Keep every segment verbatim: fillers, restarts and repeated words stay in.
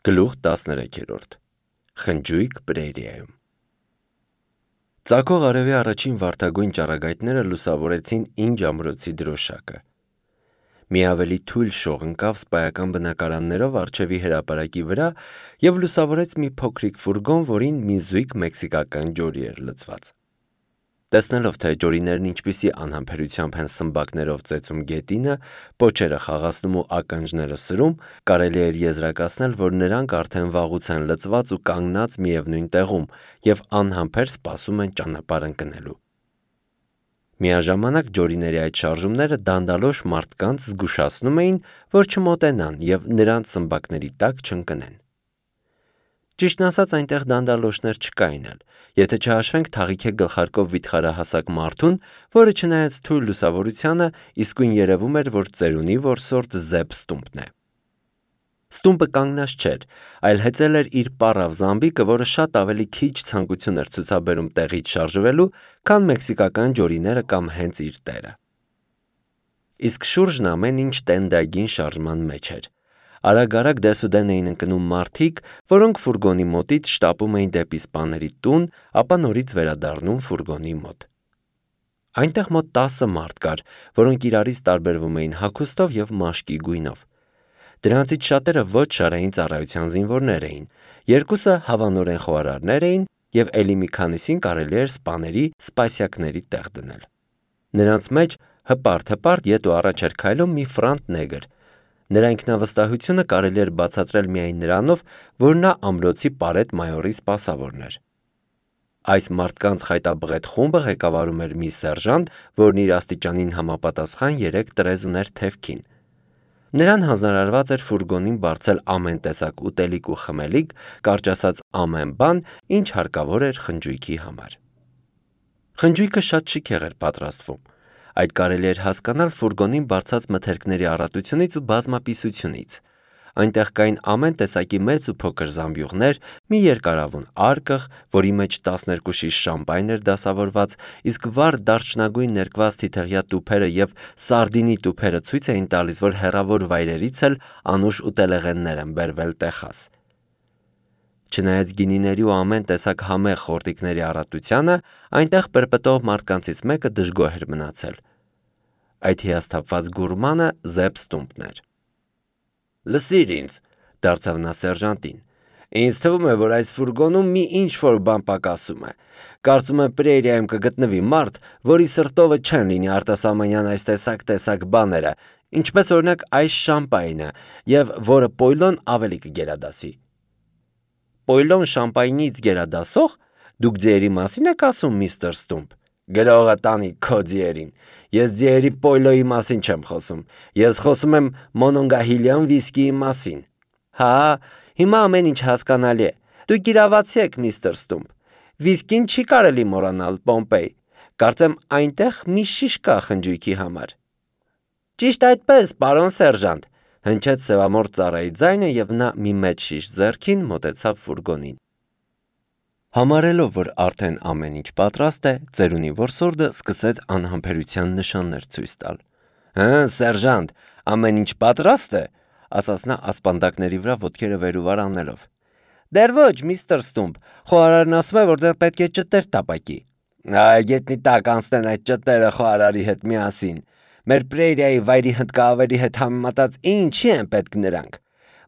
Գլուխ տասներեքերորդ Խնջույք Պրերիայում Ծագող արևի առաջին վարդագույն ճառագայթները լուսավորեցին Ինջ ամրոցի դրոշակը: Մի ավելի թույլ շող ընկավ սպայական բնակարաններով առջևի հրապարակի վրա և լուսավորեց մի փոքրիկ ֆուրգոն, որին մի զույգ մեքսիկական ջորի էր լցված: Տեսնելով, թե ջորիներն ինչպիսի անհամբերությամբ են սմբակներով ծեծում գետինը, պոչերը խաղացնում ու ականջները սրում, կարելի էր եզրակացնել, որ նրանք արդեն վաղուց են լցված ու կանգնած միևնույն տեղում և անհամբեր սպասում են ճանապարհ ընկնելու: Միաժամանակ ջորիների այդ շարժումները դանդալոշ մարդկանց զգուշացնում էին, որ չմոտենան և նրանց սմբակների տակ չընկնեն: Ճիշտն ասած, այնտեղ դանդալոշներ չկային էլ, եթե չհաշվենք Թաղիքի գլխարկով վիթխարահասակ մարդուն, որը չնայած թույլ լուսավորությանը, իսկույն երևում էր, որ ծերունի որսորդ Զեբ Ստումպն է: Ստումպը կանգնած չէր, այլ հեծել էր իր պառավ զամբիկը, որը շատ ավելի քիչ ցանկություն էր ցուցաբերում տեղից շարժվելու, քան մեքսիկական ջորիները կամ հենց իր տերը: Իսկ շուրջն ամեն ինչ տենդագին շարժման մեջ էր: Արագ-արագ դեսուդեն էին ընկնում մարդիկ, որոնք ֆուրգոնի մոտից շտապում էին դեպի սպաների տուն, ապա նորից վերադառնում ֆուրգոնի մոտ: Այնտեղ մոտ տասը մարդ կար, որոնք իրարից տարբերվում էին հագուստով և մաշկի գույնով: Դրանցից շատերը ոչ շարային ծառայության զինվորներ էին, երկուսը հավանորեն խոհարարներ էին և էլի մի քանիսին կարելի էր սպաների սպասյակների տեղ դնել: Նրանց մեջ հպարտ-հպարտ ետ ու առաջ էր քայլում մի ֆրանտ նեգր: Նրա ինքնավստահությունը կարելի էր բացատրել միայն նրանով, որ նա ամրոցի պարետ մայորի սպասավորն էր: Այս մարդկանց խայտաբղետ խումբը ղեկավարում էր մի սերժանտ, որն իր աստիճանին համապատասխան երեք տրեզ ուներ թևքին: Նրան հանձնարարված էր ֆուրգոնին բարձել ամեն տեսակ ուտելիք ու խմելիք, կարճ ասած ամեն բան, ինչ հարկավոր էր խնջույքի համար: Խնջույքը շատ շքեղ էր պատրաստվում: Այդ կարելի էր հասկանալ ֆուրգոնին բարձած մթերքների առատությունից ու բազմապիսությունից: Այնտեղ կային ամեն տեսակի մեծ ու փոքր զամբյուղներ, մի երկարավուն արկղ, որի մեջ տասներկու շիշ շամպայն էր դասավորված, իսկ վառ դարչնագույն ներկված թիթեղյա տուփերը և սարդինի տուփերը ցույց էին տալիս, որ հեռավոր վայրերից էլ անուշ ուտելեղեններ են բերվել Տեխաս: Չնայած գինիների ու ամեն տեսակ համեղ խորտիկների առատությանը, այնտեղ պրպտող մարդկանցից մեկը դժգոհ էր մնացել: Այդ հիասթափված գուրմանը Զեբ Ստումպն էր: «Լսիր ինձ,- դարձավ նա սերժանտին,- ինձ թվում է, որ այս ֆուրգոնում մի ինչ-որ բան պակասում է: Կարծում եմ Պրերիայում կգտնվի մարդ, որի սրտովը չեն լինի արտասահմանյան այս տեսակ-տեսակ բաները, ինչպես օրինակ այս շամպայնը և որը պոյլոն ավելի կգերադասի»: «Պոյլոն շամպայնից գերադասո՞ղ: Դուք ձիերի մասի՞ն եք ասում, միստր Ստումպ: Գրողը տանի քո ձիերին: Ես ձիերի պոյլոյի մասին չեմ խոսում: Ես խոսում եմ Մոնոնգահիլյան վիսկիի մասին»: «Հա, հիմա ամեն ինչ հասկանալի է: Դուք իրավացի եք, միստր Ստումպ: Վիսկին չի կարելի մոռանալ, Պոմպեյ: Կարծեմ այնտեղ մի շիշ կա խնջույքի համար»: «Ճիշտ այդպես, պարոն սերժանտ,- հնչեց սևամորթ ծառայի ձայնը և նա մի մեծ շիշ ձեռքին մոտեցավ ֆուրգոնին: Համարելով, որ արդեն ամեն ինչ պատրաստ է, ծերունի որսորդը սկսեց անհամբերության նշաններ ցույց տալ: «Հը, սերժանտ, ամեն ինչ պատրաստ է,- ասաց նա ասպանդակների վրա ոտքերը վեր ու վար անելով: Դեռ ոչ, միստր Ստումպ, խոհարարն ասում է, որ դեռ պետք է ճտեր տապակի»: «Այ գետնի տակ անցնեն այդ ճտերը խոհարարի հետ միասին: Մեր Պրերիայի վայրի հնդկահավերի հետ համեմատած ինչի են պետք նրանք: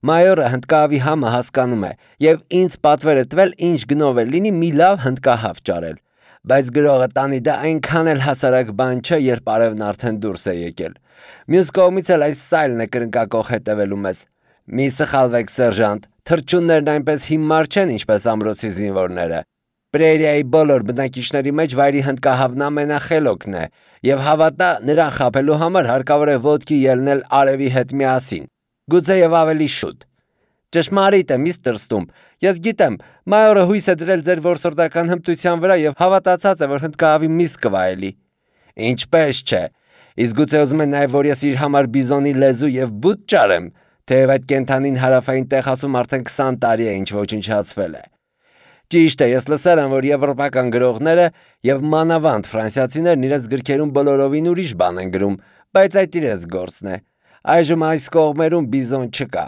Մայորը հնդկահավի համը հասկանում է և ինձ պատվեր է տվել ինչ գնով էլ լինի մի լավ հնդկահավ ճարել: Բայց գրողը տանի դա այնքան էլ հասարակ բան չէ, երբ արևն արդեն դուրս է եկել: Մյուս կողմից էլ այս սայլն է կրնկակոխ հետևելու մեզ: Մի սխալվեք, սերժանտ, թռչուններն այնպես հիմար չեն, ինչպես ամրոցի զինվորները: Պրերիայի բոլոր բնակիչների մեջ վայրի հնդկահավն ամենախելոքն է և հավատա, նրան խաբելու համար հարկավոր է ոտքի ելնել արևի հետ միասին, գուցեև ավելի շուտ: Ճշմարիտ է, միստր Ստումպ, ես գիտեմ, մայորը հույս է դրել ձեր որսորդական հմտության վրա և հավատացած է, որ հնդկահավի միս կվայելի: Ինչպես չէ: Իսկ գուցե ուզում է նաև, որ ես իր համար բիզոնի լեզու և բութ ճարեմ, թեև այդ կենդանին Հարավային Տեխասում արդեն քսան տարի է ինչ ոչնչացվել է: Ճիշտ է, ես լսել եմ, որ եվրոպական գրողները և մանավանդ ֆրանսիացիներն իրենց գրքերում բոլորովին ուրիշ բան են գրում, բայց այդ իրենց գործն է: Այժմ այս կողմերում բիզոն չկա: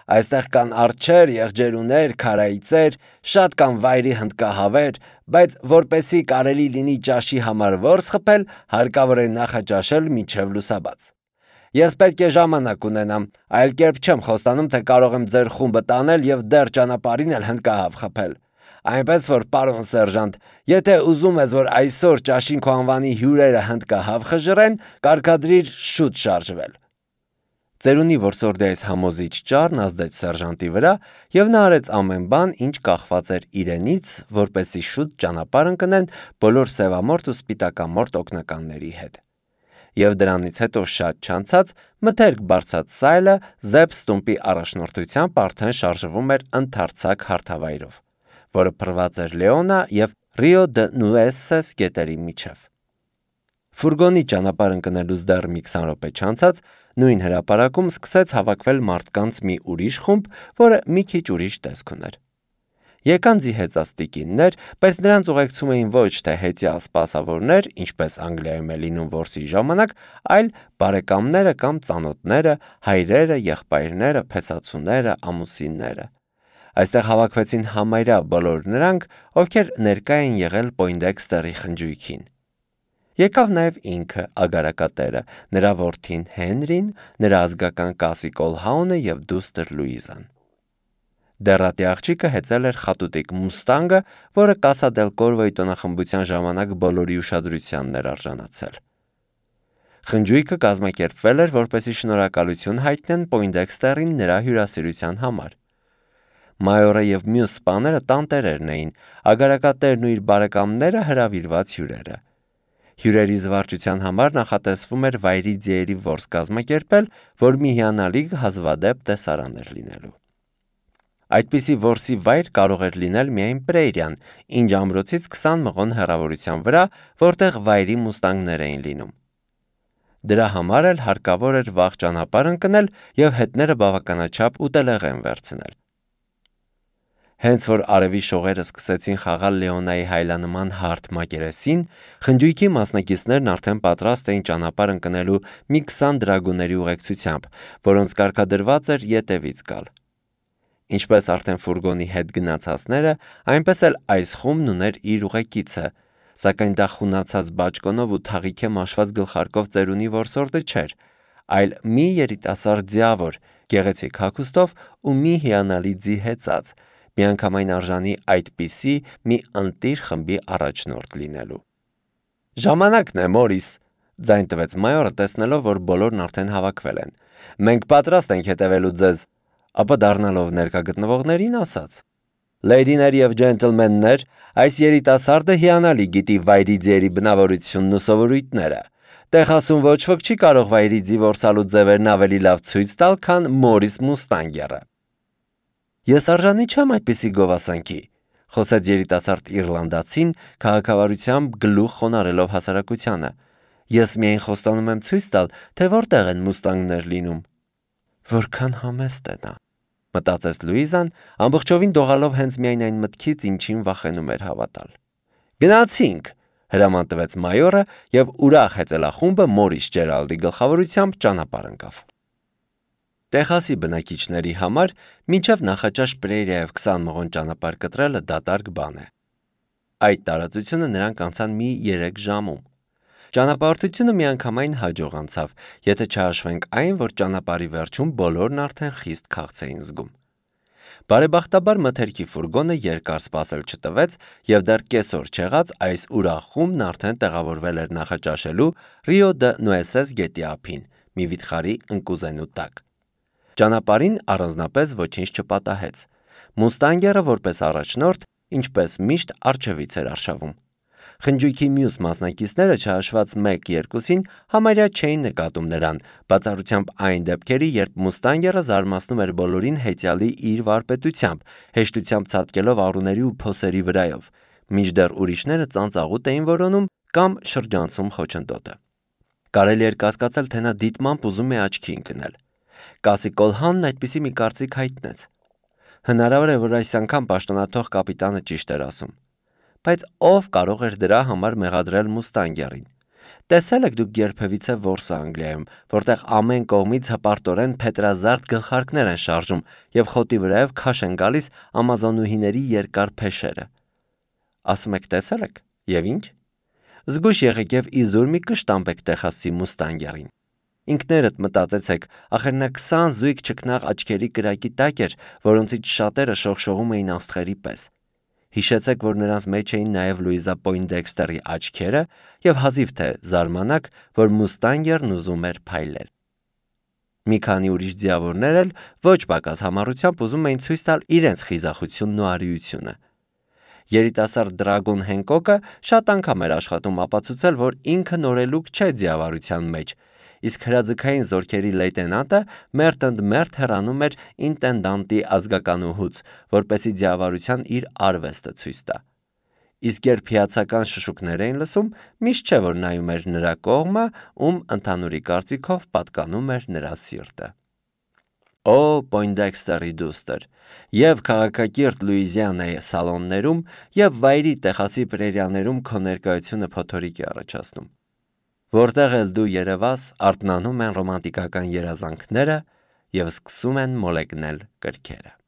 Այստեղ կան արջեր, եղջերուներ, քարայծեր, շատ կան վայրի հնդկահավեր, բայց որպեսի կարելի լինի ճաշի համար որս խփել, հարկավոր է նախաճաշել մինչև լուսաբաց։ Ես պետք է ժամանակ ունենամ, այլ կերպ չեմ խոստանում, թե կարող եմ ձեր խումբը տանել եւ դեռ ճանապարհին էլ հնդկահավ խփել։ Այնպես որ, պարոն սերժանտ, եթե ուզում ես, որ այսօր ճաշին քո անվանի հյուրերը հնդկահավ խժռեն, կարգադրիր շուտ շարժվել։ Ծերունի որսորդեից համոզիչ ճառն ազդեց սերժանտի վրա, եւ նա արեց ամեն բան, ինչ կախված էր իրենից, որպեսզի շուտ ճանապարհ ընկնեն բոլոր սևամորթ ու սպիտակամորթ օգնականների հետ։ Եվ դրանից հետո շատ չանցած մթերք բարձած սայլը Զեփ Ստումպի առաջնորդությամբ արդեն շարժվում էր ընդարձակ հարթավայրով, որը փռված էր Լեոնա եւ Ռիո դե Նուեսես գետերի միջև։ Ֆուրգոնի ճանապարհ ընկնելուց դեռ մի քսան րոպե չանցած նույն հրապարակում սկսեց հավաքվել մարդկանց մի ուրիշ խումբ, որը մի քիչ ուրիշ տեսք ուներ։ Եկան զիհեծած տիկիններ, բայց նրանց ուղեկցում էին ոչ թե հեծյալ սպասավորներ, ինչպես Անգլիայում է լինում որսի ժամանակ, այլ բարեկամները կամ ծանոթները, հայրերը, եղբայրները, փեսացուները, ամուսինները։ Այստեղ հավաքվեցին համարյա բոլոր նրանք, ովքեր ներկա էին եղել Պոյնդեքստերի խնջույքին։ Եկավ նաև ինքը ագարակատերը, նրա որդին Հենրին, նրա ազգական Կասի Կոլհաունը եւ դուստր Լուիզան։ Դեռատի աղջիկը հեծել էր խատուտիկ մուստանգը, որը Կասա դել Կորվոյի տոնախմբության ժամանակ բոլորի ուշադրությանն էր արժանացել։ Խնջույքը կազմակերպվել էր, որպեսզի շնորհակալություն հայտնեն Պոյնդեքստերին նրա հյուրասիրության համար։ Մայորը եւ մյուս սպաները տանտերերն էին, ագարակատերն ու իր բարեկամները հրավիրված հյուրերը։ Հյուրերի զվարճության համար նախատեսվում էր վայրի ձիերի որս կազմակերպել, որ մի հիանալի հազվադեպ տեսարան էր լինելու։ Այդպիսի որսի վայր կարող էր լինել միայն Պրեյրիան, ինչ ամրոցից քսան մղոն հեռավորության վրա, որտեղ վայրի մուստանգներ էին լինում։ Դրա համար էլ հարկավոր էր վաղ ճանապարհ ընկնել եւ հետները բավականաչափ ուտելեղեն վերցնել։ Հենց որ արևի շողերը սկսեցին խաղալ Լեոնայի հայլանման հարթ մակերեսին, խնջույքի մասնակիցներն արդեն պատրաստ էին ճանապարհ ընկնելու մի քսան դրագուների ուղեկցությամբ, որոնց կարգադրված էր ետևից գալ։ Ինչպես արդեն ֆուրգոնի հետ գնացածները, այնպես էլ այս խումբն ուներ իր ուղեկիցը, սակայն դա խունացած բաճկոնով ու թաղիքե մաշված գլխարկով ծերունի որսորդը չէր, այլ մի երիտասարդ ձիավոր, գեղեցիկ հագուստով ու մի հիանալի ձի հեծած, միանգամայն արժանի այդպիսի մի ընտիր խմբի առաջնորդ լինելու։ Ժամանակն է, Մորիս, ձայն տվեց մայորը, տեսնելով, որ բոլորն արդեն հավաքվել են։ Մենք պատրաստ ենք հետևելու ձեզ, ապա դառնալով ներկա գտնվողներին ասաց. Լեյդիներ եւ ջենտլմեններ, այս երիտասարդը հիանալի գիտի վայրի ձիերի բնավորությունն ու սովորույթները։ Տեխասում ոչ ոք չի կարող վայրի ձի որսալու ձևերն ավելի լավ ցույց տալ, քան Մորիս Մուստանգերը։ Ես արժանի չեմ այդպիսի գովասանքի, խոսեց երիտասարդ իռլանդացին, քաղաքավարությամբ գլուխ խոնարելով հասարակությանը։ Ես միայն խոստանում եմ ցույց տալ, թե որտեղ են մուստանգներ լինում։ Որքան համեստ է նա, մտածեց Լուիզան, ամբողջովին դողալով հենց միայն այն մտքից, ինչին վախենում էր հավատալ։ Գնացինք, հրաման տվեց մայորը եւ ուրախ հեծելախումբը Մորիս Ջերալդի գլխավորությամբ ճանապարհ ընկավ։ Տեխասի բնակիչների համար մինչև նախաճաշ Պրեյրիայով քսան մղոն ճանապարհ կտրելը դատարկ բան է։ Այդ տարածությունը նրանք անցան մի երեք ժամում։ Ճանապարհորդությունը միանգամայն հաջող անցավ, եթե չհաշվենք այն, որ ճանապարհի վերջում բոլորն արդեն խիստ քաղց էին զգում։ Բարեբախտաբար մթերքի ֆուրգոնը երկար սպասել չտվեց եւ դեռ կեսօր չեղած այս ուրախ խումբն արդեն տեղավորվել էր նախաճաշելու Ռիո դե Նուեսես գետի ափին, մի վիթխարի ընկուզենու տակ։ Ճանապարհին առանձնապես ոչինչ չպատահեց։ Մուստանգերը որպես առաջնորդ, ինչպես միշտ առջևից էր արշավում։ Խնջույքի մյուս մասնակիցները չհաշված մեկ-երկուսին համարյա չէին նկատում նրան, բացառությամբ այն դեպքերի, երբ Մուստանգերը զարմացնում էր բոլորին հեծյալի իր վարպետությամբ, հեշտությամբ ցատկելով առուների ու փոսերի վրայով, մինչդեռ ուրիշները ծանծաղուտ էին որոնում կամ շրջանցում խոչընդոտը։ Կարելի էր կասկածել, թե նա դիտմամբ ուզում է աչքի ընկնել։ Կասի Կոլհանն այդպիսի մի կարծիք հայտնեց։ Հնարավոր է, որ այս անգամ պաշտոնաթող կապիտանը ճիշտ էր ասում։ Բայց ով կարող էր դրա համար մեղադրել Մուստանգերին։ Տեսել եք դուք երբևիցե Որսը Անգլիայում, որտեղ ամեն կողմից հպարտորեն փետրազարդ գլխարկներ են շարժում եւ խոտի վրայով քաշ են գալիս ամազոնուհիների երկար փեշերը։ Ասում եք տեսել եք, եւ ինչ։ Զգույշ եղեք եւ իզուր մի կշտամբեք Տեխասի Մուստանգերին։ Ինքներդ մտածեցեք, ախր նա քսան զույգ չքնաղ աչքերի կրակի տակ էր, որոնցից շատերը շողշողում էին աստղերի պես։ Հիշեցեք, որ նրանց մեջ էին նաև Լուիզա Պոյնդեքստերի աչքերը եւ հազիվ թե զարմանաք, որ Մուստանգերն ուզում էր փայլել։ Մի քանի ուրիշ ձիավորներ էլ ոչ պակաս համառությամբ ուզում էին ցույց տալ իրենց խիզախությունն ու արիությունը։ Երիտասարդ Դրագոն Հենկոկը շատ անգամ էր աշխատում ապացուցել, որ ինքը նորելուկ չէ ձիավարության մեջ, իսկ հրաձգային զորքերի լեյտենանտը մերթ ընդ մերթ հեռանում էր ինտենդանտի ազգականուհուց, որպեսզի ձիավարության իր արվեստը ցույց տա։ Իսկ երբ հիացական շշուկներ էին լսում, միշտ չէ, որ նայում էր նրա կողմը, ում ընդհանուրի կարծիքով պատկանում էր նրա սիրտը։ Օ, Պոյնդեքստերի դուստր, եւ քաղաքակիրթ Լուիզիանայի սալոններում, եւ վայրի Տեխասի պրերիաներում քո ներկայությունը փոթորիկ է առաջացնում։ Որտեղ էլ դու երևաս, արթնանում են ռոմանտիկական երազանքները եւ սկսում են մոլեգնել կրքերը։